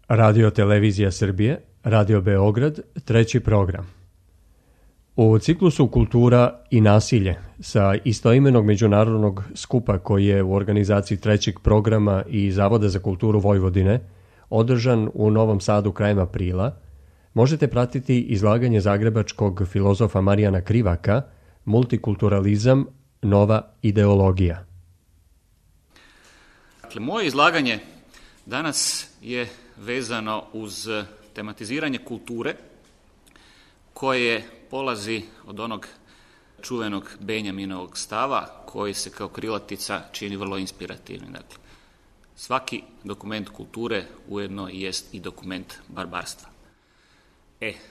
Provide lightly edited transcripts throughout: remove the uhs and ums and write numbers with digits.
Radio Televizija Srbije, Radio Beograd, 3. program. U ciklusu Kultura i nasilje sa istoimenog međunarodnog skupa koji je u organizaciji 3. programa i Zavoda za kulturu Vojvodine održan u Novom Sadu krajem aprila, možete pratiti izlaganje zagrebačkog filozofa Marijana Krivaka Multikulturalizam, nova ideologija. Dakle, moje izlaganje danas je vezano uz tematiziranje kulture koje polazi od onog čuvenog Benjaminovog stava koji se kao krilatica čini vrlo inspirativnim. Dakle, svaki dokument kulture ujedno jest i dokument barbarstva.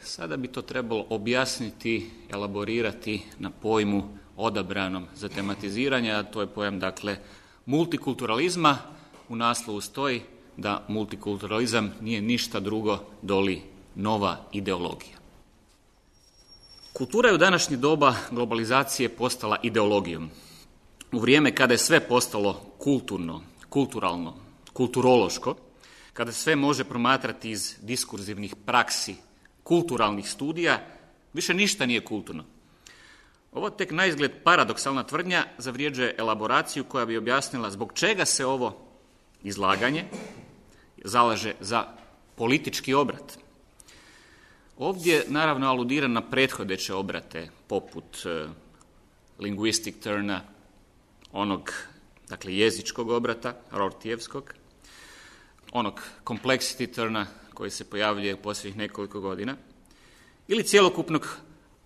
Sada bi to trebalo objasniti, elaborirati na pojmu odabranom za tematiziranje, a to je pojam, dakle, multikulturalizma. U naslovu stoji da multikulturalizam nije ništa drugo doli nova ideologija. Kultura je u današnje doba globalizacije postala ideologijom. U vrijeme kada je sve postalo kulturno, kulturalno, kulturološko, kada sve može promatrati iz diskurzivnih praksi, kulturalnih studija, više ništa nije kulturno. Ovo tek naizgled paradoksalna tvrdnja zavređuje elaboraciju koja bi objasnila zbog čega se ovo izlaganje zalaže za politički obrat. Ovdje naravno aludiram na prethodeće obrate poput linguistic turna, onog, dakle, jezičkog obrata, Rortijevskog, onog complexity turna koji se pojavljuje u posljednjih nekoliko godina, ili cjelokupnog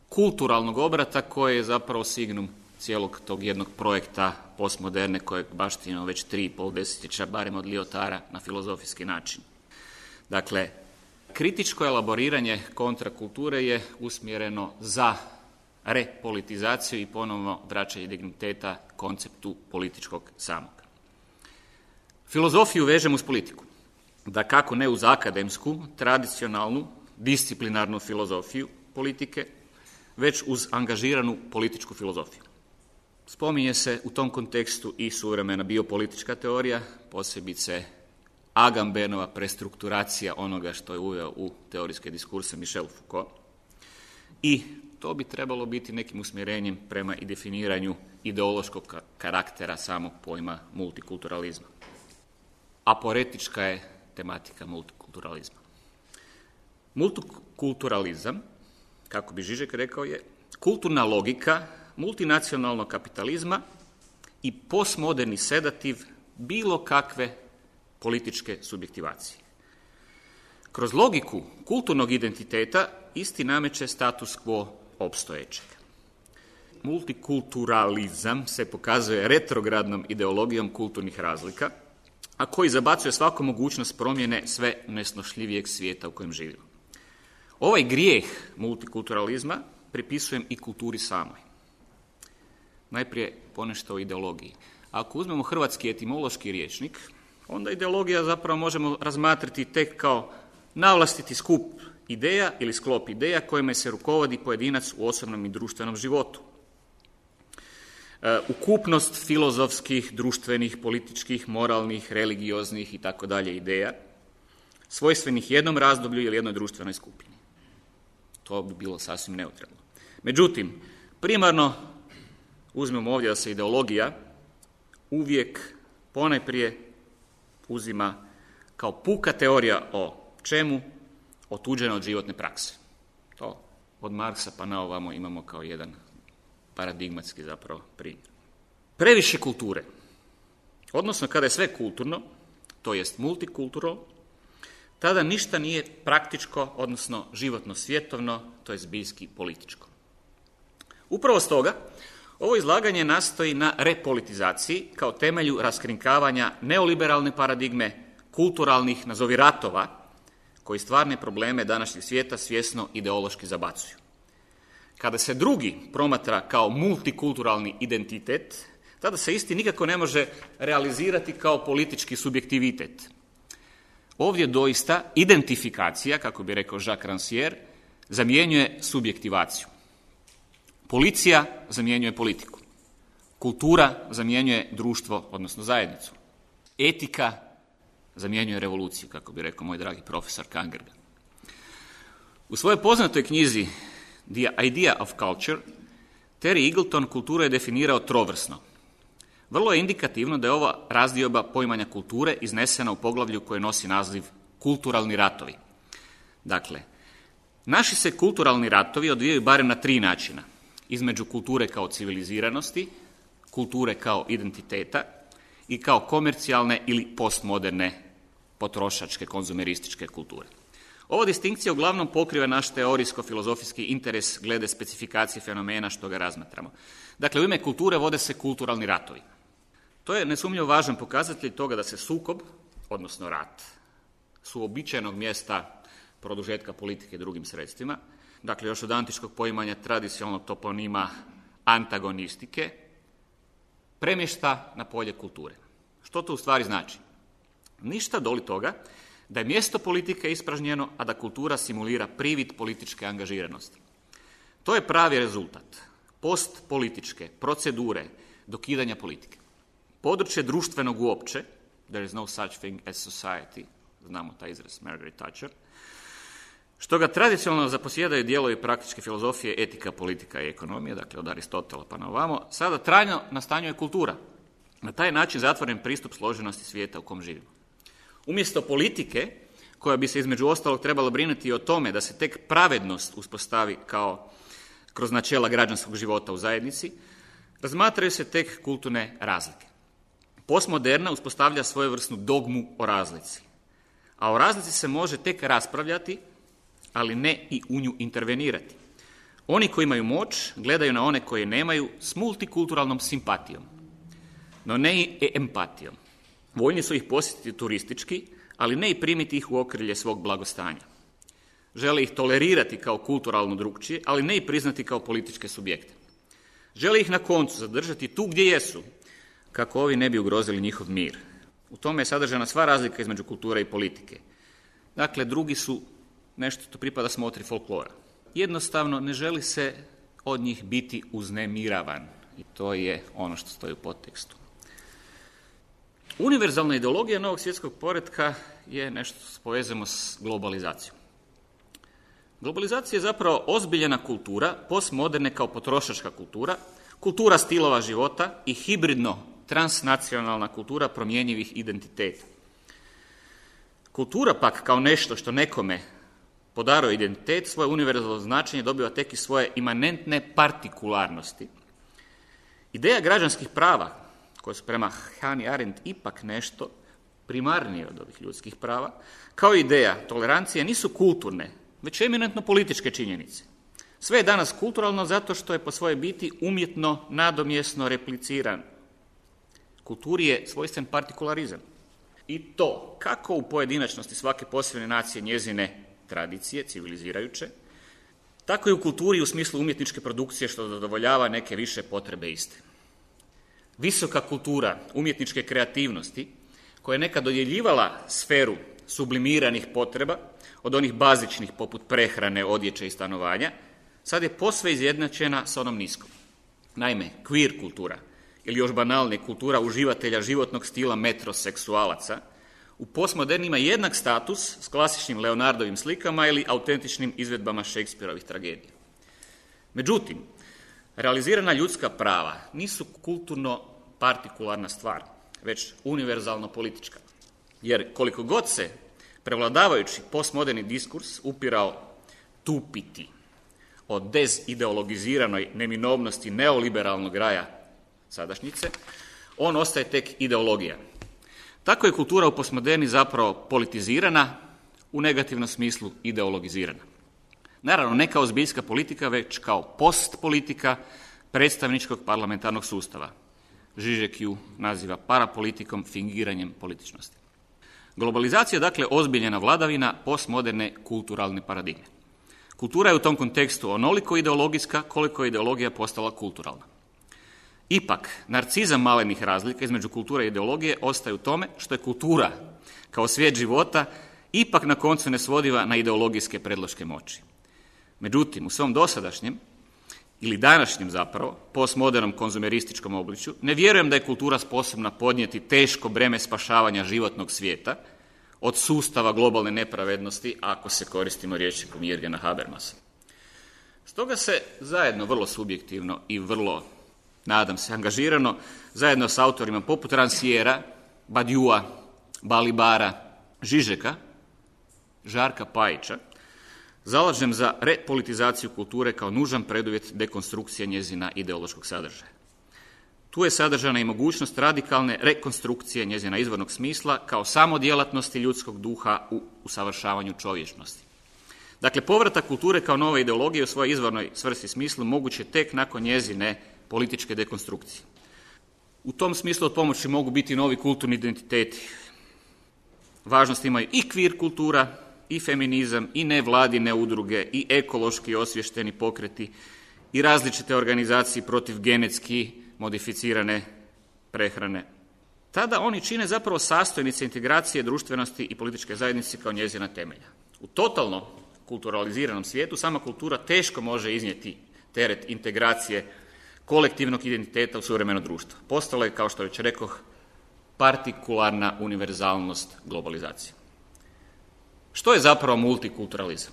kulturalnog obrata koji je zapravo signum cijelog tog jednog projekta postmoderne kojeg baštinimo već 3,5 desetljeća, barem od Lyotara, na filozofijski način. Dakle, kritičko elaboriranje kontrakulture je usmjereno za repolitizaciju i ponovno vraćanje digniteta konceptu političkog samog. Filozofiju vežemo uz politiku. Da kako ne uz akademsku, tradicionalnu, disciplinarnu filozofiju politike, već uz angažiranu političku filozofiju. Spominje se u tom kontekstu i suvremena biopolitička teorija, posebice Agambenova prestrukturacija onoga što je uveo u teorijske diskurse Michel Foucault. I to bi trebalo biti nekim usmjerenjem prema i definiranju ideološkog karaktera samog pojma multikulturalizma. Aporetička je tematika multikulturalizma. Multikulturalizam, kako bi Žižek rekao, je kulturna logika multinacionalnog kapitalizma i postmoderni sedativ bilo kakve političke subjektivacije. Kroz logiku kulturnog identiteta isti nameće status quo opstojećeg. Multikulturalizam se pokazuje retrogradnom ideologijom kulturnih razlika, a koji zabacuje svaku mogućnost promjene sve nesnošljivijeg svijeta u kojem živimo. Ovaj grijeh multikulturalizma pripisujem i kulturi samoj. Najprije ponešto o ideologiji. Ako uzmemo hrvatski etimološki rječnik, onda ideologija zapravo možemo razmatrati tek kao navlastiti skup ideja ili sklop ideja kojima se rukovodi pojedinac u osobnom i društvenom životu. Ukupnost filozofskih, društvenih, političkih, moralnih, religioznih i tako dalje ideja, svojstvenih jednom razdoblju ili jednoj društvenoj skupini. To bi bilo sasvim neutralno. Međutim, primarno uzmemo ovdje da se ideologija uvijek ponajprije uzima kao puka teorija o čemu? Otuđena od životne prakse. To od Marksa pa na ovamo imamo kao jedan paradigmatski zapravo primjer. Previše kulture, odnosno kada je sve kulturno, to jest multikulturalno, tada ništa nije praktičko, odnosno životno svjetovno, to je zbiljski političko. Upravo stoga, ovo izlaganje nastoji na repolitizaciji kao temelju raskrinkavanja neoliberalne paradigme, kulturalnih, nazovi ratova, koji stvarne probleme današnjeg svijeta svjesno ideološki zabacuju. Kada se drugi promatra kao multikulturalni identitet, tada se isti nikako ne može realizirati kao politički subjektivitet. Ovdje doista identifikacija, kako bi rekao Jacques Rancière, zamjenjuje subjektivaciju. Policija zamjenjuje politiku. Kultura zamjenjuje društvo, odnosno zajednicu. Etika zamjenjuje revoluciju, kako bi rekao moj dragi profesor Kangergan. U svojoj poznatoj knjizi The Idea of Culture, Terry Eagleton kulturu je definirao trovrsno. Vrlo je indikativno da je ova razdioba poimanja kulture iznesena u poglavlju koje nosi naziv Kulturalni ratovi. Dakle, naši se kulturalni ratovi odvijaju barem na 3 načina. Između kulture kao civiliziranosti, kulture kao identiteta i kao komercijalne ili postmoderne potrošačke, konzumerističke kulture. Ova distinkcija uglavnom pokriva naš teorijsko-filozofijski interes glede specifikacije fenomena što ga razmatramo. Dakle, u ime kulture vode se kulturalni ratovi. To je nesumnjivo važan pokazatelj toga da se sukob, odnosno rat, su uobičajenog mjesta produžetka politike drugim sredstvima, dakle još od antičkog poimanja tradicionalnog toponima antagonistike, premješta na polje kulture. Što to u stvari znači? Ništa doli toga da je mjesto politike ispražnjeno, a da kultura simulira privid političke angažiranosti. To je pravi rezultat postpolitičke procedure dokidanja politike. Područje društvenog uopće, there is no such thing as society, znamo taj izraz Margaret Thatcher, što ga tradicionalno zaposjedaju dijelovi praktičke filozofije, etika, politika i ekonomije, dakle od Aristotela pa na ovamo, sada trajno nastanjuje kultura. Na taj način zatvoren pristup složenosti svijeta u kom živimo. Umjesto politike, koja bi se između ostalog trebala brinuti o tome da se tek pravednost uspostavi kao kroz načela građanskog života u zajednici, razmatraju se tek kulturne razlike. Postmoderna uspostavlja svojevrsnu dogmu o razlici, a o razlici se može tek raspravljati, ali ne i u nju intervenirati. Oni koji imaju moć gledaju na one koje nemaju s multikulturalnom simpatijom, no ne i empatijom. Voljni su ih posjetiti turistički, ali ne i primiti ih u okrilje svog blagostanja. Žele ih tolerirati kao kulturalno drukčije, ali ne i priznati kao političke subjekte. Žele ih na koncu zadržati tu gdje jesu, kako ovi ne bi ugrozili njihov mir. U tome je sadržana sva razlika između kulture i politike. Dakle, drugi su nešto što pripada smotri folklora. Jednostavno ne želi se od njih biti uznemiravan. I to je ono što stoji u podtekstu. Univerzalna ideologija novog svjetskog poretka je nešto što povezujemo s globalizacijom. Globalizacija je zapravo ozbiljena kultura, postmoderne kao potrošačka kultura, kultura stilova života i hibridno transnacionalna kultura promjenjivih identiteta. Kultura pak kao nešto što nekome podaruje identitet, svoje univerzalno značenje dobiva tek i svoje imanentne partikularnosti. Ideja građanskih prava, koje su prema Hannah Arendt ipak nešto primarnije od ovih ljudskih prava, kao ideja tolerancije nisu kulturne, već eminentno političke činjenice. Sve je danas kulturalno zato što je po svojoj biti umjetno, nadomjesno repliciran. Kulturi je svojstven partikularizam. I to kako u pojedinačnosti svake posebne nacije njezine tradicije, civilizirajuće, tako i u kulturi u smislu umjetničke produkcije što zadovoljava neke više potrebe iste. Visoka kultura umjetničke kreativnosti, koja je nekad dodjeljivala sferu sublimiranih potreba, od onih bazičnih poput prehrane, odjeće i stanovanja, sad je posve izjednačena s onom niskom. Naime, queer kultura, ili još banalnije kultura uživatelja životnog stila metroseksualaca, u postmoderni ima jednak status s klasičnim Leonardovim slikama ili autentičnim izvedbama Shakespeareovih tragedija. Međutim, realizirana ljudska prava nisu kulturno partikularna stvar, već univerzalno politička. Jer koliko god se prevladavajući postmoderni diskurs upirao tupiti o dezideologiziranoj neminovnosti neoliberalnog raja sadašnjice, on ostaje tek ideologija. Tako je kultura u postmoderni zapravo politizirana, u negativnom smislu ideologizirana. Naravno, ne kao zbiljska politika, već kao postpolitika predstavničkog parlamentarnog sustava. Žižek ju naziva parapolitikom, fingiranjem političnosti. Globalizacija je dakle ozbiljena vladavina postmoderne kulturalne paradigme. Kultura je u tom kontekstu onoliko ideologijska koliko je ideologija postala kulturalna. Ipak, narcizam malenih razlika između kulture i ideologije ostaje u tome što je kultura kao svijet života ipak na koncu nesvodiva na ideologijske predloške moći. Međutim, u svom dosadašnjem ili današnjem zapravo postmodernom konzumerističkom obličju ne vjerujem da je kultura sposobna podnijeti teško breme spašavanja životnog svijeta, od sustava globalne nepravednosti, ako se koristimo rječnikom Jürgena Habermasa. Stoga se zajedno, vrlo subjektivno i vrlo, nadam se, angažirano, zajedno s autorima poput Ranciera, Badiua, Balibara, Žižeka, Žarka Pajića, zalažem za repolitizaciju kulture kao nužan preduvjet dekonstrukcije njezina ideološkog sadržaja. Tu je sadržana i mogućnost radikalne rekonstrukcije njezina izvornog smisla kao samodjelatnosti ljudskog duha u usavršavanju čovječnosti. Dakle, povratak kulture kao nove ideologije u svojoj izvornoj svrsi smislu moguće tek nakon njezine političke dekonstrukcije. U tom smislu od pomoći mogu biti novi kulturni identiteti. Važnost imaju i queer kultura, i feminizam, i nevladine udruge, i ekološki osviješteni pokreti, i različite organizacije protiv genetski modificirane prehrane. Tada oni čine zapravo sastojnice integracije društvenosti i političke zajednice kao njezina temelja. U totalno kulturaliziranom svijetu sama kultura teško može iznijeti teret integracije kolektivnog identiteta u suvremeno društvo. Postalo je, kao što već rekoh, partikularna univerzalnost globalizacije. Što je zapravo multikulturalizam?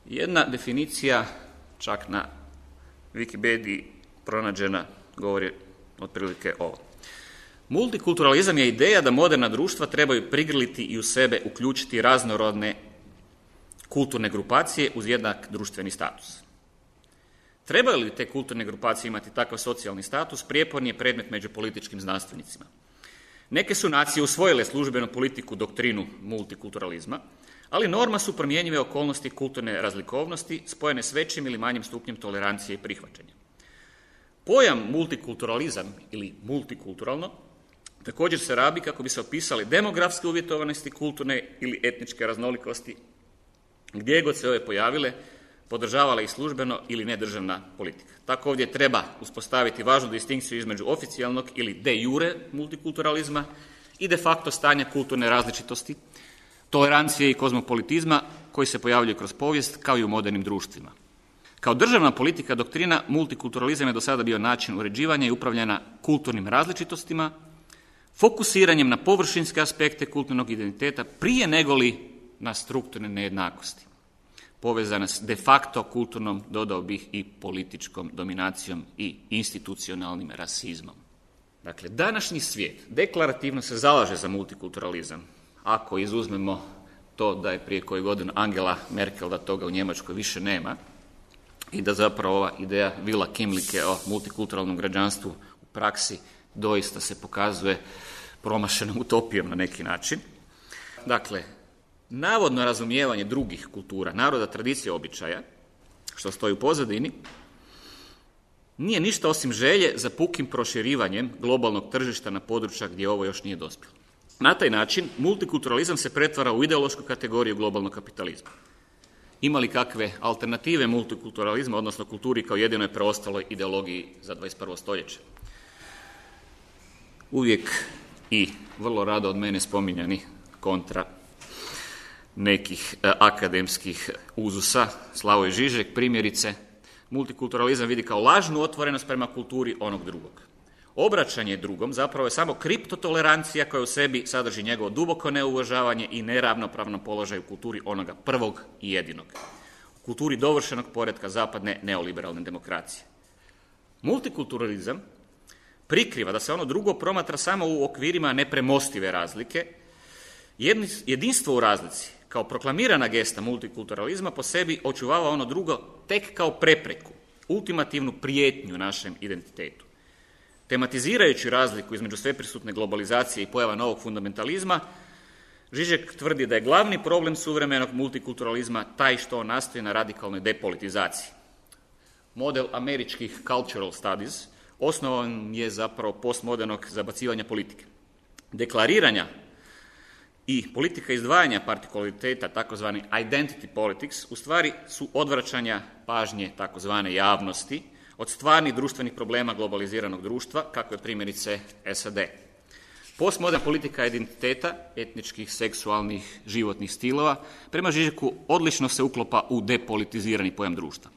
Jedna definicija, čak na Wikipediji pronađena, govori otprilike ovo. Multikulturalizam je ideja da moderna društva trebaju prigrliti i u sebe uključiti raznorodne kulturne grupacije uz jednak društveni status. Trebaju li te kulturne grupacije imati takav socijalni status, prijeporni je predmet među političkim znanstvenicima. Neke su nacije usvojile službenu politiku doktrinu multikulturalizma, ali norma su promjenjive okolnosti kulturne razlikovnosti spojene s većim ili manjim stupnjem tolerancije i prihvaćanja. Pojam multikulturalizam ili multikulturalno također se rabi kako bi se opisali demografske uvjetovanosti kulturne ili etničke raznolikosti, gdje god se ove pojavile, podržavala ih službeno ili nedržavna politika. Tako ovdje treba uspostaviti važnu distinkciju između oficijalnog ili de jure multikulturalizma i de facto stanja kulturne različitosti, tolerancije i kozmopolitizma koji se pojavljuju kroz povijest kao i u modernim društvima. Kao državna politika doktrina multikulturalizam je do sada bio način uređivanja i upravljanja kulturnim različitostima, fokusiranjem na površinske aspekte kulturnog identiteta prije negoli na strukturne nejednakosti, povezane s de facto kulturnom, dodao bih, i političkom dominacijom i institucionalnim rasizmom. Dakle, današnji svijet deklarativno se zalaže za multikulturalizam, ako izuzmemo to da je prije koju godinu Angela Merkel, da toga u Njemačkoj više nema, i da zapravo ova ideja Vila Kimlike o multikulturalnom građanstvu u praksi doista se pokazuje promašenom utopijom na neki način. Dakle, navodno razumijevanje drugih kultura, naroda, tradicije, običaja, što stoji u pozadini, nije ništa osim želje za pukim proširivanjem globalnog tržišta na područja gdje ovo još nije dospjelo. Na taj način multikulturalizam se pretvara u ideološku kategoriju globalnog kapitalizma. Ima li kakve alternative multikulturalizma, odnosno kulturi kao jedinoj preostaloj ideologiji za 21. stoljeće? Uvijek i vrlo rado od mene spominjani kontra nekih akademskih uzusa, Slavoj Žižek primjerice, multikulturalizam vidi kao lažnu otvorenost prema kulturi onog drugog. Obraćanje drugom zapravo je samo kriptotolerancija koja u sebi sadrži njegovo duboko neuvažavanje i neravnopravno položaj u kulturi onoga prvog i jedinog. U kulturi dovršenog poretka zapadne neoliberalne demokracije. Multikulturalizam prikriva da se ono drugo promatra samo u okvirima nepremostive razlike. Jedinstvo u razlici, kao proklamirana gesta multikulturalizma, po sebi očuvava ono drugo tek kao prepreku, ultimativnu prijetnju našem identitetu. Tematizirajući razliku između sveprisutne globalizacije i pojava novog fundamentalizma, Žižek tvrdi da je glavni problem suvremenog multikulturalizma taj što on nastoji na radikalnoj depolitizaciji. Model američkih cultural studies osnovan je zapravo postmodernog zabacivanja politike. Deklariranja i politika izdvajanja partikulariteta, takozvani identity politics, u stvari su odvraćanja pažnje takozvane javnosti od stvarnih društvenih problema globaliziranog društva, kako je primjerice SAD. Postmoderna politika identiteta, etničkih, seksualnih, životnih stilova, prema Žižeku odlično se uklopa u depolitizirani pojam društva.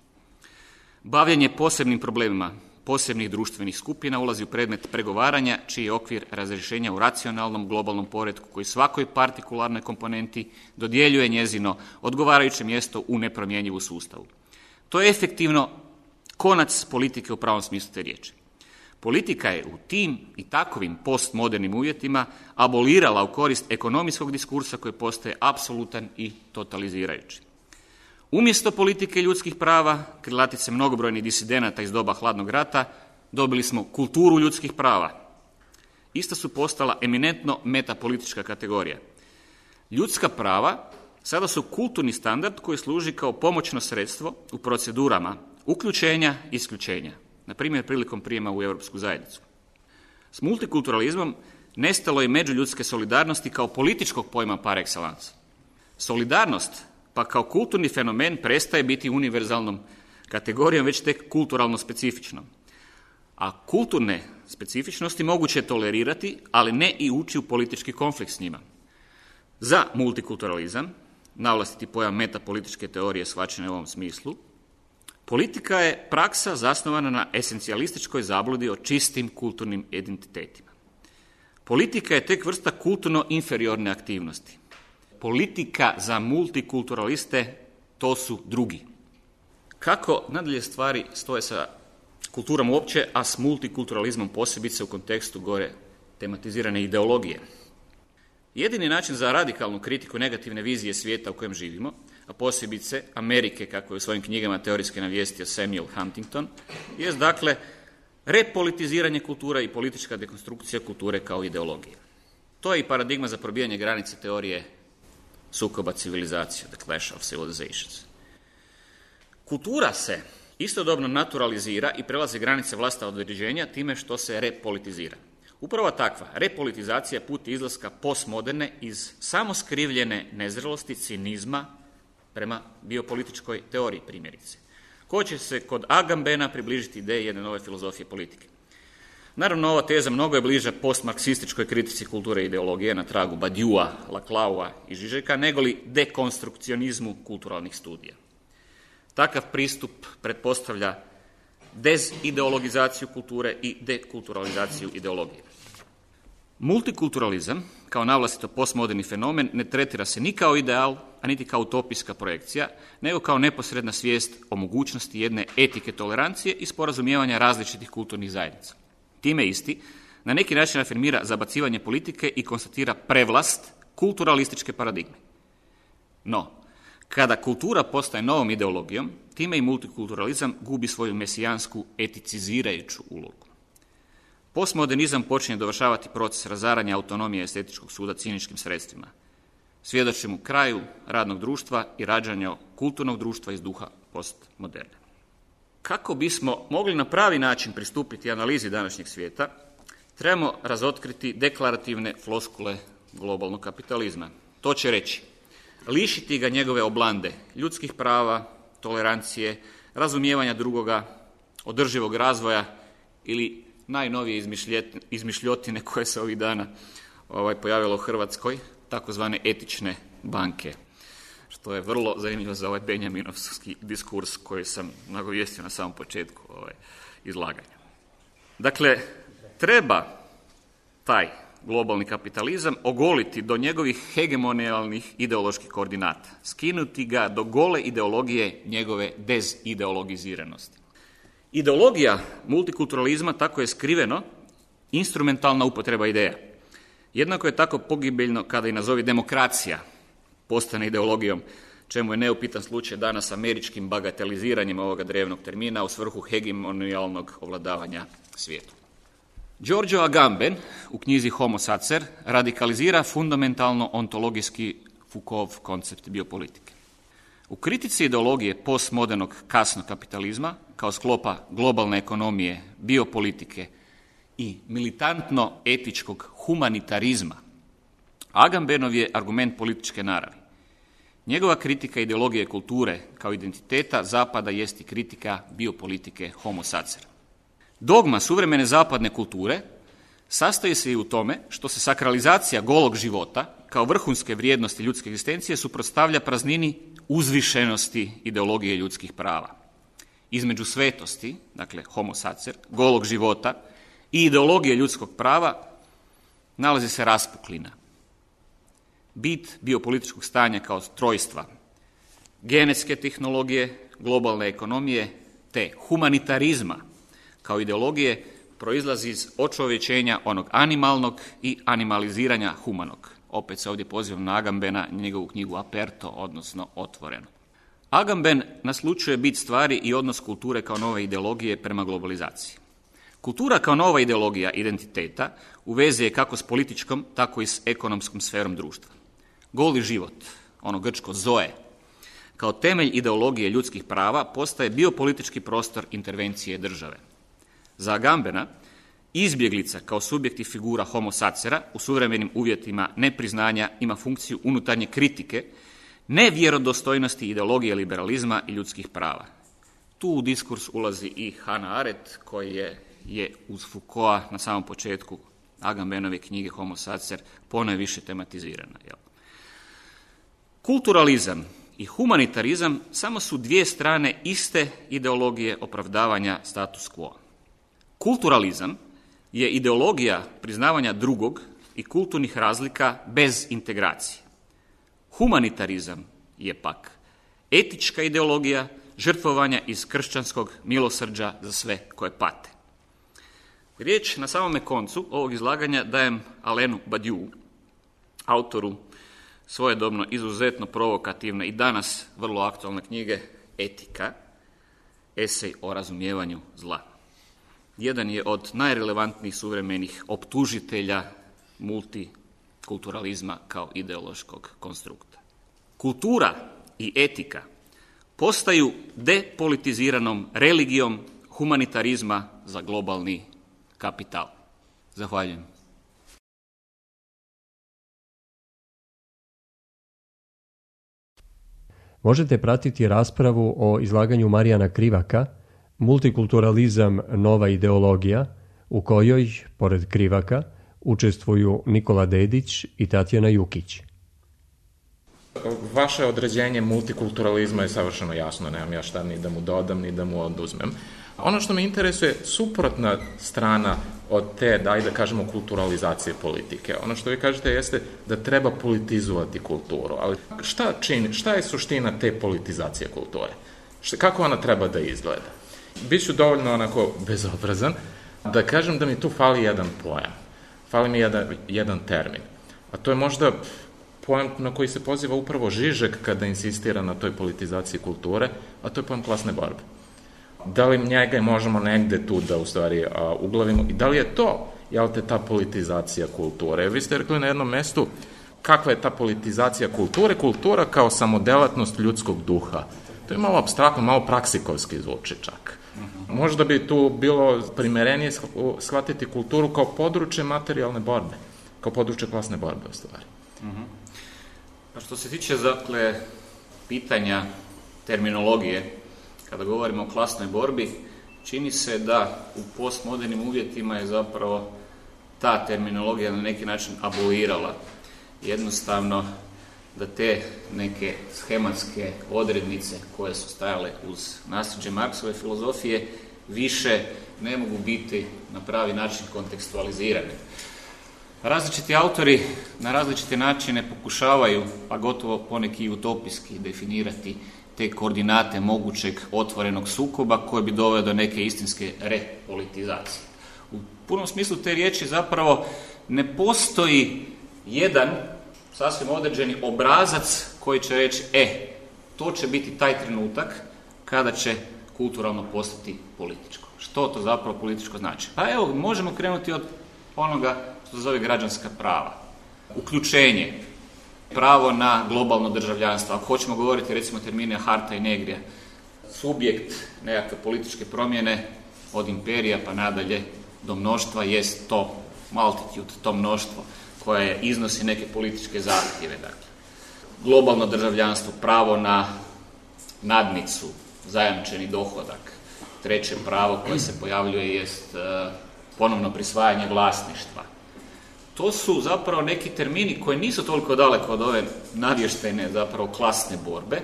Bavljenje posebnim problemima, posebnih društvenih skupina ulazi u predmet pregovaranja, čiji je okvir razrješenja u racionalnom globalnom poretku koji svakoj partikularnoj komponenti dodjeljuje njezino odgovarajuće mjesto u nepromjenjivu sustavu. To je efektivno konac politike u pravom smislu te riječi. Politika je u tim i takovim postmodernim uvjetima abolirala u korist ekonomijskog diskursa koji postaje apsolutan i totalizirajući. Umjesto politike ljudskih prava, krilatice mnogobrojnih disidenata iz doba hladnog rata, dobili smo kulturu ljudskih prava. Ista su postala eminentno metapolitička kategorija. Ljudska prava sada su kulturni standard koji služi kao pomoćno sredstvo u procedurama uključenja i isključenja, na primjer prilikom prijema u Europsku zajednicu. S multikulturalizmom nestalo je međuljudske solidarnosti kao političkog pojma par excellence. Solidarnost pa kao kulturni fenomen prestaje biti univerzalnom kategorijom, već tek kulturalno specifičnom. A kulturne specifičnosti moguće je tolerirati, ali ne i ući u politički konflikt s njima. Za multikulturalizam, navlastiti pojam metapolitičke teorije shvaćene u ovom smislu, politika je praksa zasnovana na esencijalističkoj zabludi o čistim kulturnim identitetima. Politika je tek vrsta kulturno inferiorne aktivnosti. Politika za multikulturaliste to su drugi. Kako nadalje stvari stoje sa kulturom uopće, a s multikulturalizmom posebice u kontekstu gore tematizirane ideologije? Jedini način za radikalnu kritiku negativne vizije svijeta u kojem živimo, a posebice Amerike, kako je u svojim knjigama teorijski navijestio Samuel Huntington, jest dakle repolitiziranje kulture i politička dekonstrukcija kulture kao ideologije. To je i paradigma za probijanje granice teorije sukoba civilizacija, the clash of civilizations. Kultura se istodobno naturalizira i prelazi granice vlastita određenja time što se repolitizira. Upravo takva repolitizacija je put izlaska postmoderne iz samoskrivljene nezrelosti, cinizma prema biopolitičkoj teoriji primjerice, ko će se kod Agambena približiti ideji jedne nove filozofije politike. Naravno, ova teza mnogo je bliža postmarksističkoj kritici kulture i ideologije na tragu Badiua, Laclaua i Žižeka, negoli dekonstrukcionizmu kulturalnih studija. Takav pristup pretpostavlja dezideologizaciju kulture i dekulturalizaciju ideologije. Multikulturalizam, kao navlastito postmoderni fenomen, ne tretira se ni kao ideal, a niti kao utopijska projekcija, nego kao neposredna svijest o mogućnosti jedne etike tolerancije i sporazumijevanja različitih kulturnih zajednica. Time isti na neki način afirmira zabacivanje politike i konstatira prevlast kulturalističke paradigme. No, kada kultura postaje novom ideologijom, time i multikulturalizam gubi svoju mesijansku eticizirajuću ulogu. Postmodernizam počinje dovršavati proces razaranja autonomije estetičkog suda ciničkim sredstvima. Svjedočimo kraju radnog društva i rađanju kulturnog društva iz duha postmoderne. Kako bismo mogli na pravi način pristupiti analizi današnjeg svijeta, trebamo razotkriti deklarativne floskule globalnog kapitalizma. To će reći, lišiti ga njegove oblande, ljudskih prava, tolerancije, razumijevanja drugoga, održivog razvoja ili najnovije izmišljotine koje se ovih dana pojavilo u Hrvatskoj, takozvane etične banke, što je vrlo zanimljivo za ovaj benjaminovski diskurs koji sam nagovijestio na samom početku izlaganja. Dakle, treba taj globalni kapitalizam ogoliti do njegovih hegemonijalnih ideoloških koordinata, skinuti ga do gole ideologije njegove dezideologiziranosti. Ideologija multikulturalizma tako je skriveno instrumentalna upotreba ideja. Jednako je tako pogibeljno kada i nazovi demokracija postane ideologijom, čemu je neupitan slučaj danas američkim bagateliziranjem ovoga drevnog termina u svrhu hegemonijalnog ovladavanja svijetom. Giorgio Agamben u knjizi Homo Sacer radikalizira fundamentalno ontologijski Foucaultov koncept biopolitike. U kritici ideologije postmodernog kasnog kapitalizma kao sklopa globalne ekonomije, biopolitike i militantno-etičkog humanitarizma, Agambenov je argument političke naravi. Njegova kritika ideologije kulture kao identiteta Zapada jest i kritika biopolitike Homo Sacer. Dogma suvremene zapadne kulture sastoji se i u tome što se sakralizacija golog života kao vrhunske vrijednosti ljudske egzistencije suprotstavlja praznini uzvišenosti ideologije ljudskih prava. između svetosti, dakle homo sacer, golog života i ideologije ljudskog prava nalazi se raspuklina. Bit biopolitičkog stanja kao trojstva, genetske tehnologije, globalne ekonomije te humanitarizma kao ideologije proizlazi iz očovječenja onog animalnog i animaliziranja humanog. Opet se ovdje pozivam na Agambena, njegovu knjigu Aperto, odnosno Otvoreno. Agamben naslučuje bit stvari i odnos kulture kao nove ideologije prema globalizaciji. Kultura kao nova ideologija identiteta u vezi je kako s političkom, tako i s ekonomskom sferom društva. Goli život, ono grčko zoe, kao temelj ideologije ljudskih prava postaje biopolitički prostor intervencije države. Za Agambena, izbjeglica kao subjekt i figura homo sacera u suvremenim uvjetima nepriznanja ima funkciju unutarnje kritike, nevjerodostojnosti ideologije liberalizma i ljudskih prava. Tu u diskurs ulazi i Hannah Arendt, koji je uz Foucaulta na samom početku Agambenove knjige Homo sacer ponajviše tematizirana. Kulturalizam i humanitarizam samo su dvije strane iste ideologije opravdavanja status quo. Kulturalizam je ideologija priznavanja drugog i kulturnih razlika bez integracije. Humanitarizam je pak etička ideologija žrtvovanja iz kršćanskog milosrđa za sve koje pate. Riječ na samome koncu ovog izlaganja dajem Alenu Badiou, autoru svojedobno izuzetno provokativne i danas vrlo aktualne knjige Etika, esej o razumijevanju zla. Jedan je od najrelevantnijih suvremenih optužitelja multikulturalizma kao ideološkog konstrukta. Kultura i etika postaju depolitiziranom religijom humanitarizma za globalni kapital. Zahvaljujem. Možete pratiti raspravu o izlaganju Marijana Krivaka Multikulturalizam, nova ideologija, u kojoj, pored Krivaka, učestvuju Nikola Dedić i Tatjana Jukić. Vaše određenje multikulturalizma je savršeno jasno, nemam ja šta ni da mu dodam, ni da mu oduzmem. Ono što me interesuje, suprotna strana od te, da kažemo, kulturalizacije politike. Ono što vi kažete jeste da treba politizovati kulturu, ali šta je suština te politizacije kulture? Kako ona treba da izgleda? Biću dovoljno onako bezobrazan da kažem da mi tu fali jedan pojam, fali mi jedan termin, a to je možda pojam na koji se poziva upravo Žižek kada insistira na toj politizaciji kulture, a to je pojam klasne borbe. Da li njega možemo negde tu da u stvari uglavimo i da li je to, ta politizacija kulture? Vi ste rekli na jednom mestu kakva je ta politizacija kulture, kultura kao samodelatnost ljudskog duha. To je malo apstraktno, malo praksikovski zvuči čak. Možda bi tu bilo primerenije shvatiti kulturu kao područje materijalne borbe, kao područje klasne borbe u stvari. A što se tiče, dakle, pitanja terminologije, kada govorimo o klasnoj borbi, čini se da u postmodernim uvjetima je zapravo ta terminologija na neki način abolirala. Jednostavno da te neke schematske odrednice koje su stajale uz nasljeđe Marksove filozofije više ne mogu biti na pravi način kontekstualizirane. Različiti autori na različite načine pokušavaju, pa gotovo poneki utopijski, definirati te koordinate mogućeg otvorenog sukoba koji bi doveo do neke istinske repolitizacije. U punom smislu te riječi zapravo ne postoji jedan sasvim određeni obrazac koji će reći to će biti taj trenutak kada će kulturalno postati političko. Što to zapravo političko znači? Pa evo, možemo krenuti od onoga što se zove građanska prava. Uključenje, pravo na globalno državljanstvo. Ako hoćemo govoriti recimo termine Harta i Negrija, subjekt nekakve političke promjene od imperija pa nadalje do mnoštva jest to multitude, to mnoštvo koje iznosi neke političke zahtjeve. Dakle, globalno državljanstvo, pravo na nadnicu, zajamčeni dohodak. Treće pravo koje se pojavljuje jest ponovno prisvajanje vlasništva. To su zapravo neki termini koji nisu toliko daleko od ove navještajne zapravo klasne borbe,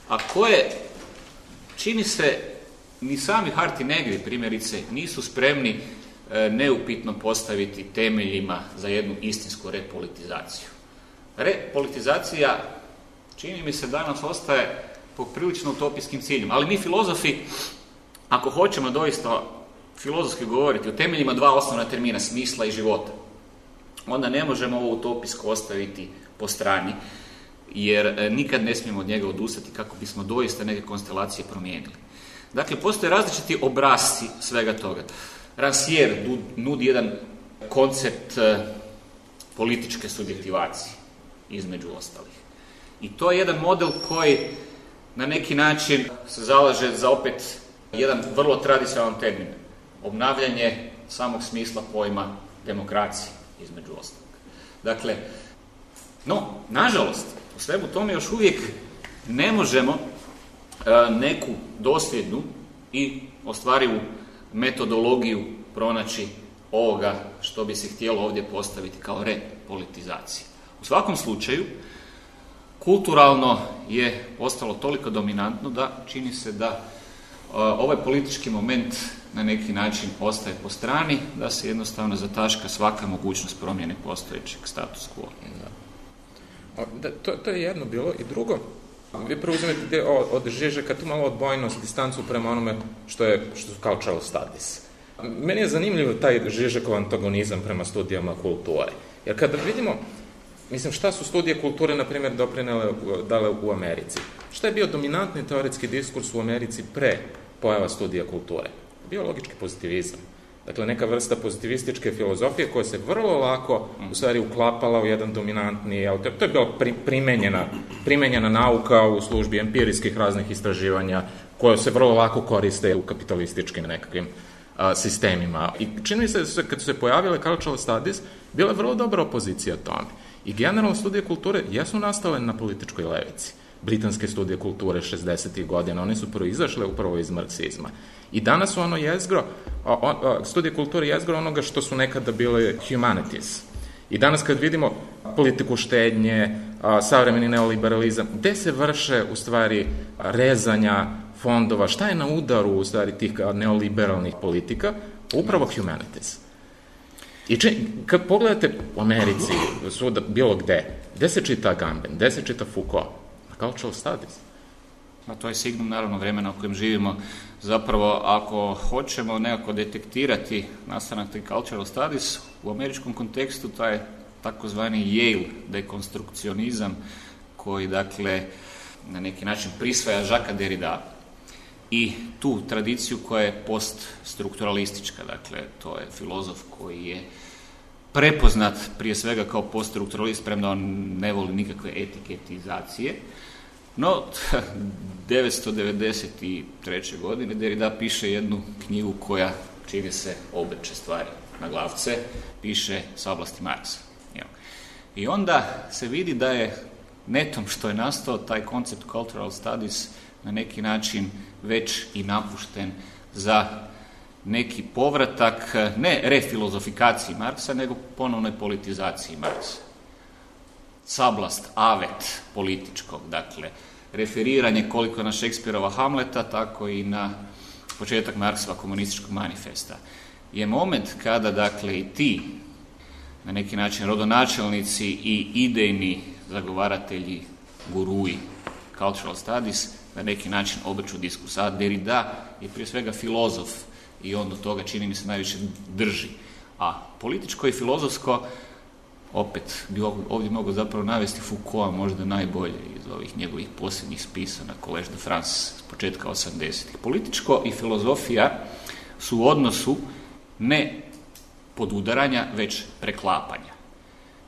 a koje čini se ni sami Hart i Negri, primjerice, nisu spremni neupitno postaviti temeljima za jednu istinsku repolitizaciju. Repolitizacija, čini mi se, danas ostaje poprilično utopijskim ciljem, ali mi filozofi, ako hoćemo doista filozofski govoriti o temeljima dva osnovna termina, smisla i života, onda ne možemo ovo utopijsko ostaviti po strani, jer nikad ne smijemo od njega odustati kako bismo doista neke konstelacije promijenili. Dakle, postoje različiti obrasci svega toga. Rancière nudi jedan koncept političke subjektivacije, između ostalih. I to je jedan model koji na neki način se zalaže za opet jedan vrlo tradicionalan termin. Obnavljanje samog smisla pojma demokracije, između ostalog. Dakle, no, nažalost, u svemu tome još uvijek ne možemo neku dosljednu i ostvarivu metodologiju pronaći ovoga što bi se htjelo ovdje postaviti kao repolitizacija. U svakom slučaju, kulturalno je postalo toliko dominantno da čini se da ovaj politički moment na neki način ostaje po strani, da se jednostavno zataška svaka mogućnost promjene postojećeg status quo. To je jedno bilo. I drugo, vi preuzimete od Žižeka tu malo odbojnost, distancu prema onome što su cultural studies. Meni je zanimljiv taj Žižekov antagonizam prema studijama kulture. Jer kada vidimo, šta su studije kulture, na primjer, dale u Americi? Šta je bio dominantni teoretski diskurs u Americi pre pojava studija kulture? Biologički pozitivizam. Dakle, neka vrsta pozitivističke filozofije koja se vrlo lako u stvari uklapala u jedan dominantni, to je bila primenjena nauka u službi empirijskih raznih istraživanja koje se vrlo lako koriste u kapitalističkim nekakvim sistemima. I čini mi se, kad su se pojavile cultural studies, bila je vrlo dobra opozicija tome. I generalno studije kulture jesu nastale na političkoj levici. Britanske studije kulture 60. godina, one su proizašle upravo iz marksizma. I danas su ono jezgro, studije kulture jezgro onoga što su nekada bile humanities. I danas kad vidimo politiku štednje, savremeni neoliberalizam, gde se vrše u stvari rezanja fondova, šta je na udaru u stvari tih neoliberalnih politika? Upravo humanities. I kad pogledate u Americi, svuda, bilo gde se čita Agamben, gde se čita Foucault? Na cultural studies. A to je signum, naravno, vremena u kojem živimo. Zapravo, ako hoćemo nekako detektirati nastanak tih cultural studies, u američkom kontekstu taj takozvani Yale dekonstrukcionizam, koji, dakle, na neki način prisvaja Jacquesa Derrida i tu tradiciju koja je poststrukturalistička. Dakle, to je filozof koji je prepoznat prije svega kao poststrukturalist, premda on ne voli nikakve etiketizacije. No, 1993. godine Derrida piše jednu knjigu koja čini se obrće stvari na glavce, piše Sablasti Marksa. I onda se vidi da je netom što je nastao taj koncept cultural studies na neki način već i napušten za neki povratak, ne refilozofikaciji Marksa, nego ponovnoj politizaciji Marksa. Sablast, avet političkog, dakle, referiranje koliko na Šekspirova Hamleta, tako i na početak Marksova komunističkog manifesta. Je moment kada, dakle, i ti, na neki način, rodonačelnici i idejni zagovaratelji, gurui cultural studies, na neki način obrću diskurs. A Derrida je prije svega filozof i on do toga, čini mi se, najviše drži. A političko i filozofsko, opet bi ovdje mogu zapravo navesti Foucaulta možda najbolje iz ovih njegovih posljednjih spisa na Collège de France s početka 80-ih. Političko i filozofija su u odnosu ne podudaranja, već preklapanja.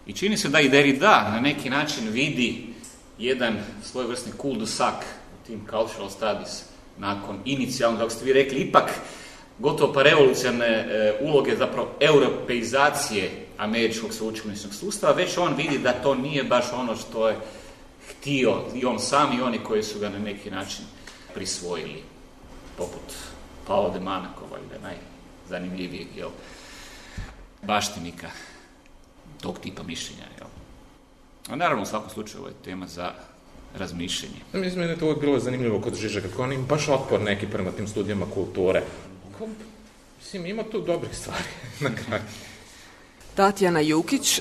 I čini se da i Derrida na neki način vidi jedan svojevrsni cul-de-sac u tim cultural studies nakon inicijalno, kako ste vi rekli, ipak gotovo pa revolucionarne uloge, zapravo europeizacije američkog sveučilišnog sustava, već on vidi da to nije baš ono što je htio i on sam i oni koji su ga na neki način prisvojili, poput Paolo de Manakova, ili najzanimljivijeg baštinika tog tipa mišljenja. A naravno, u svakom slučaju, ovo je tema za razmišljanje. Mislim, meni je to uvijek bilo zanimljivo kod Žižeka, kako on ima baš otpor neki prema tim studijama kulture. Mislim, ima tu dobrih stvari na kraju. Tatjana Jukić.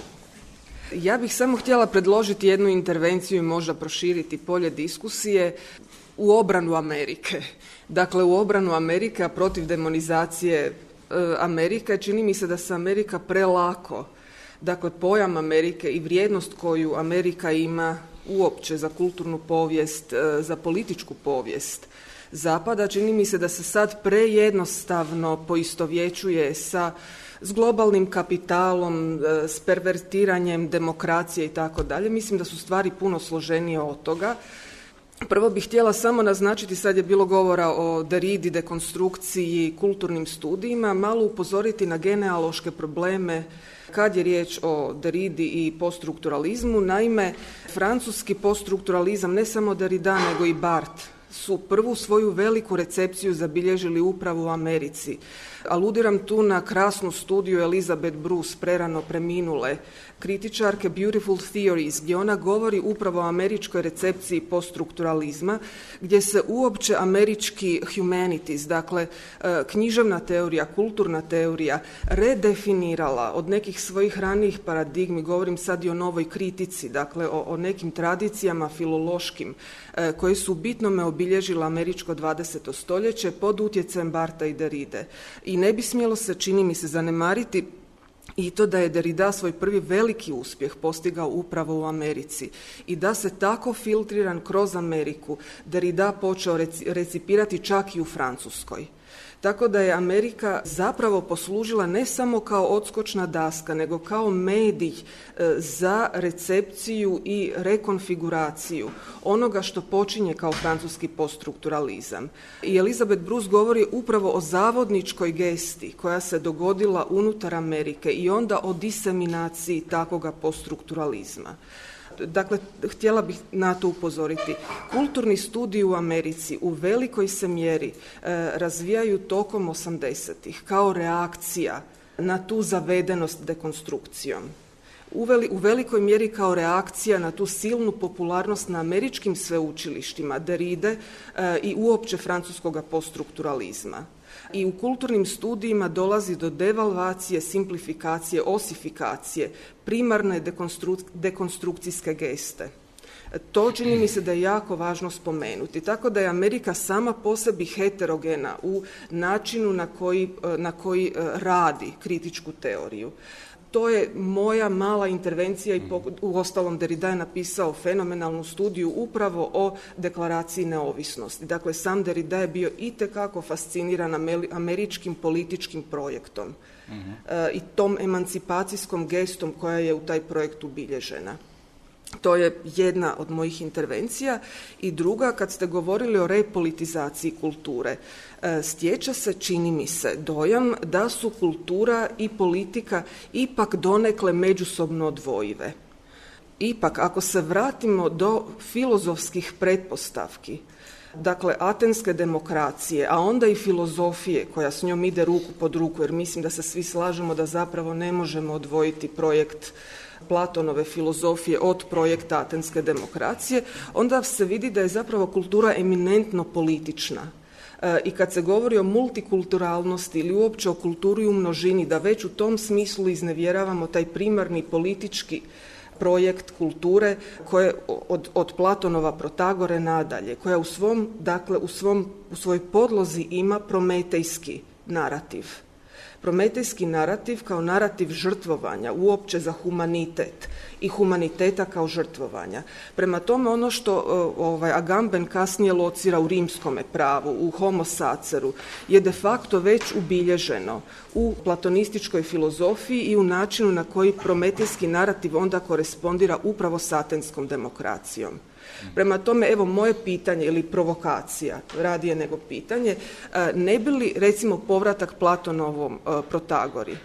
Ja bih samo htjela predložiti jednu intervenciju i možda proširiti polje diskusije u obranu Amerike. Dakle, u obranu Amerike, a protiv demonizacije Amerike, čini mi se da se Amerika prelako, dakle, pojam Amerike i vrijednost koju Amerika ima uopće za kulturnu povijest, za političku povijest Zapada, čini mi se da se sad prejednostavno poistovjećuje s globalnim kapitalom, s pervertiranjem demokracije i tako dalje. Mislim da su stvari puno složenije od toga. Prvo bih htjela samo naznačiti, sad je bilo govora o Derridi, dekonstrukciji, kulturnim studijima, malo upozoriti na genealoške probleme kad je riječ o Derridi i poststrukturalizmu. Naime, francuski poststrukturalizam, ne samo Derrida nego i Barthes, su prvu svoju veliku recepciju zabilježili upravo u Americi. Aludiram tu na krasnu studiju Elizabeth Bruce, prerano preminule kritičarke Beautiful Theories, gdje ona govori upravo o američkoj recepciji poststrukturalizma, gdje se uopće američki humanities, dakle književna teorija, kulturna teorija, redefinirala od nekih svojih ranijih paradigmi, govorim sad i o novoj kritici, dakle o nekim tradicijama filološkim koje su bitnome obilježile američko 20. stoljeće pod utjecajem Bartha i Derride. I ne bi smjelo se, čini mi se, zanemariti i to da je Derrida svoj prvi veliki uspjeh postigao upravo u Americi i da se tako filtriran kroz Ameriku Derrida počeo recipirati čak i u Francuskoj. Tako da je Amerika zapravo poslužila ne samo kao odskočna daska, nego kao medij za recepciju i rekonfiguraciju onoga što počinje kao francuski poststrukturalizam. I Elizabeth Bruce govori upravo o zavodničkoj gesti koja se dogodila unutar Amerike i onda o diseminaciji takvoga poststrukturalizma. Dakle, htjela bih na to upozoriti. Kulturni studiji u Americi u velikoj se mjeri razvijaju tokom 80-ih kao reakcija na tu zavedenost dekonstrukcijom. U velikoj mjeri kao reakcija na tu silnu popularnost na američkim sveučilištima Derride i uopće francuskoga poststrukturalizma. I u kulturnim studijima dolazi do devalvacije, simplifikacije, osifikacije, primarne dekonstrukcijske geste. To čini mi se da je jako važno spomenuti. Tako da je Amerika sama po sebi heterogena u načinu na koji radi kritičku teoriju. To je moja mala intervencija i uostalom Derrida je napisao fenomenalnu studiju upravo o deklaraciji neovisnosti. Dakle, sam Derrida je bio itekako fasciniran američkim političkim projektom i tom emancipacijskom gestom koja je u taj projekt ubilježena. To je jedna od mojih intervencija. I druga, kad ste govorili o repolitizaciji kulture, stječe se, čini mi se, dojam da su kultura i politika ipak donekle međusobno odvojive. Ipak, ako se vratimo do filozofskih pretpostavki, dakle, atenske demokracije, a onda i filozofije koja s njom ide ruku pod ruku, jer mislim da se svi slažemo da zapravo ne možemo odvojiti projekt Platonove filozofije od projekta atenske demokracije, onda se vidi da je zapravo kultura eminentno politična. I kad se govori o multikulturalnosti ili uopće o kulturi u množini, da već u tom smislu iznevjeravamo taj primarni politički projekt kulture koje od Platonova Protagore nadalje, koja u svojoj podlozi ima prometejski narativ. Prometejski narativ kao narativ žrtvovanja uopće za humanitet i humaniteta kao žrtvovanja. Prema tome, ono što Agamben kasnije locira u rimskome pravu, u Homo saceru, je de facto već ubilježeno u platonističkoj filozofiji i u načinu na koji prometejski narativ onda korespondira upravo s atenskom demokracijom. Prema tome, evo moje pitanje ili provokacija, radije nego pitanje, ne bi li recimo povratak Platonovom Protagori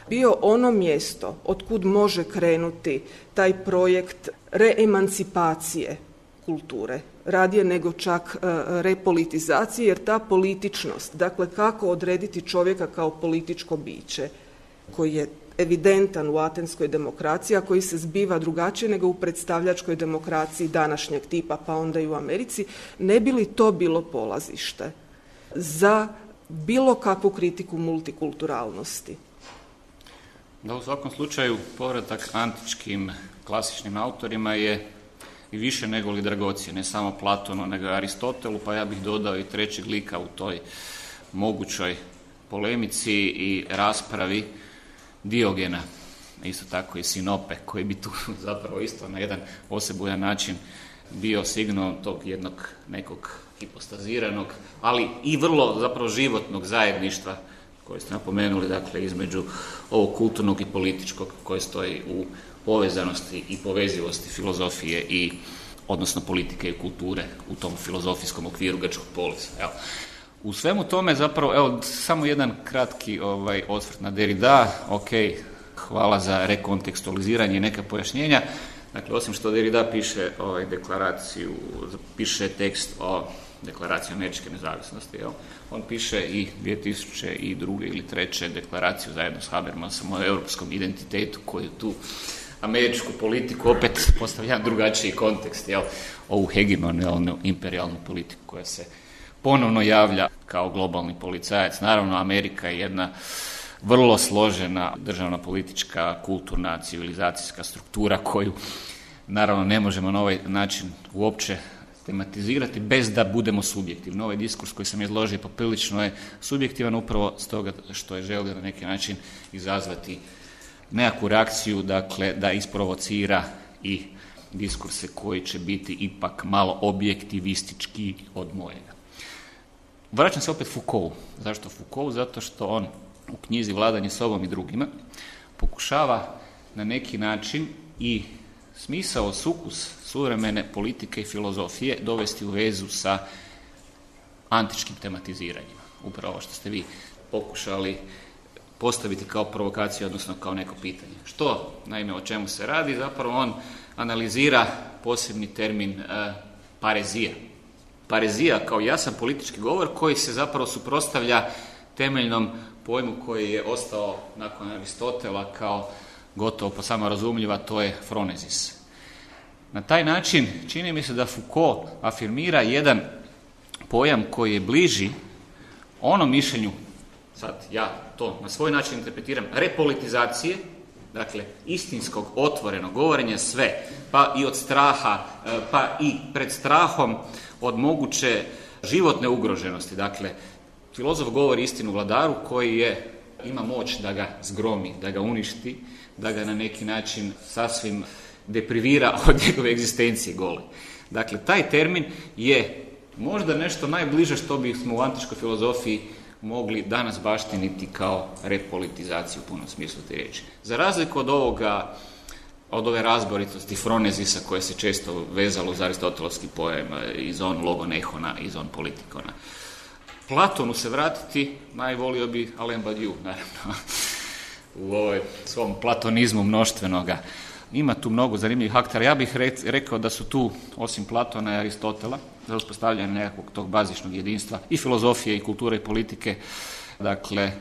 bio ono mjesto otkud može krenuti taj projekt reemancipacije kulture, radije nego čak repolitizacije, jer ta političnost, dakle kako odrediti čovjeka kao političko biće koji je evidentan u atenskoj demokraciji, a koji se zbiva drugačije nego u predstavljačkoj demokraciji današnjeg tipa, pa onda i u Americi, ne bi li to bilo polazište za bilo kakvu kritiku multikulturalnosti? Da, u svakom slučaju povratak antičkim klasičnim autorima je i više nego li dragocjen, ne samo Platonu, nego Aristotelu, pa ja bih dodao i trećeg lika u toj mogućoj polemici i raspravi, Diogena, isto tako i Sinope, koji bi tu zapravo isto na jedan osebujan način bio signal tog jednog nekog hipostaziranog, ali i vrlo zapravo životnog zajedništva koje ste napomenuli, dakle, između ovog kulturnog i političkog koje stoji u povezanosti i povezivosti filozofije i odnosno politike i kulture u tom filozofijskom okviru grčkog polisa. Evo. U svemu tome zapravo, evo, samo jedan kratki osvrt na Derrida, hvala za rekontekstualiziranje i neka pojašnjenja. Dakle, osim što Derrida piše deklaraciju, piše tekst o deklaraciji američke nezavisnosti, on piše i 2002. ili 2003. deklaraciju zajedno s Habermasom o europskom identitetu koju tu američku politiku opet postavlja jedan drugačiji kontekst, ovu hegemonalnu imperijalnu politiku koja se ponovno javlja kao globalni policajac. Naravno, Amerika je jedna vrlo složena državna, politička, kulturna, civilizacijska struktura koju naravno ne možemo na ovaj način uopće tematizirati bez da budemo subjektivni. Ovaj diskurs koji sam izložio poprilično je subjektivan upravo stoga što je želio na neki način izazvati nekakvu reakciju, dakle da isprovocira i diskurse koji će biti ipak malo objektivistički od mojega. Vraćam se opet Foucault. Zašto Foucault? Zato što on u knjizi Vladanje sobom i drugima pokušava na neki način i smisao, sukus suvremene politike i filozofije dovesti u vezu sa antičkim tematiziranjima. Upravo ovo što ste vi pokušali postaviti kao provokaciju, odnosno kao neko pitanje. Što, naime, o čemu se radi? Zapravo on analizira posebni termin parezija. Parezija kao jasan politički govor koji se zapravo suprotstavlja temeljnom pojmu koji je ostao nakon Aristotela kao gotovo po samorazumljiva, to je fronezis. Na taj način čini mi se da Foucault afirmira jedan pojam koji je bliži onom mišljenju, sad ja to na svoj način interpretiram, repolitizacije, dakle istinskog otvorenog govorenja sve, pa i od straha, pa i pred strahom od moguće životne ugroženosti. Dakle, filozof govori istinu vladaru koji ima moć da ga zgromi, da ga uništi, da ga na neki način sasvim deprivira od njegove egzistencije gole. Dakle, taj termin je možda nešto najbliže što bismo u antičkoj filozofiji mogli danas baštiniti kao repolitizaciju u punom smislu te riječi. Za razliku od ove razboritosti fronezisa koje se često vezalo uz aristotelovski pojam iz on logonehona, iz on politikona. Platonu se vratiti, najvolio bi Alain Badiou, naravno, u ovoj svom platonizmu mnoštvenoga. Ima tu mnogo zanimljivih aktera. Ja bih rekao da su tu, osim Platona i Aristotela, za uspostavljanje nekakvog tog bazičnog jedinstva i filozofije i kulture i politike, dakle,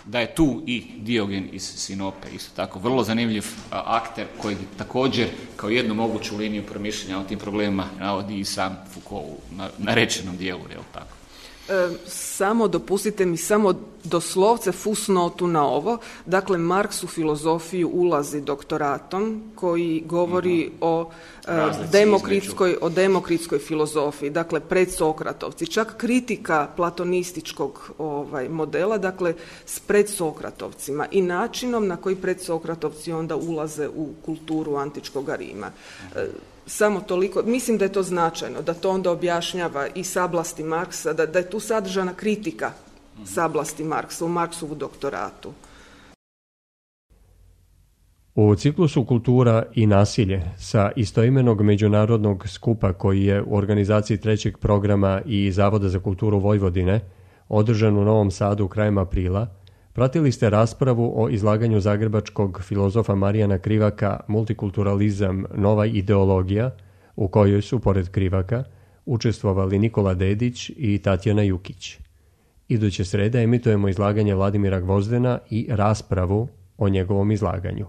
da je tu i Diogen iz Sinope, isto tako, vrlo zanimljiv akter koji također kao jednu moguću liniju promišljanja o tim problemima navodi i sam Foucault na rečenom dijelu, je li tako? Samo dopustite mi samo doslovce fusnotu na ovo. Dakle, Marks u filozofiju ulazi doktoratom koji govori o demokritskoj filozofiji, dakle predsokratovci. Čak kritika platonističkog modela, dakle s predsokratovcima i načinom na koji predsokratovci onda ulaze u kulturu antičkog Rima. Samo toliko, mislim da je to značajno, da to onda objašnjava i sablasti Marksa, da je tu sadržana kritika sablasti Marksa u Marksovu doktoratu. U ciklusu Kultura i nasilje sa istoimenog međunarodnog skupa koji je u organizaciji trećeg programa i Zavoda za kulturu Vojvodine održan u Novom Sadu krajem aprila, pratili ste raspravu o izlaganju zagrebačkog filozofa Marijana Krivaka Multikulturalizam, nova ideologija, u kojoj su, pored Krivaka, učestvovali Nikola Dedić i Tatjana Jukić. Iduće srede emitujemo izlaganje Vladimira Gvozdena i raspravu o njegovom izlaganju.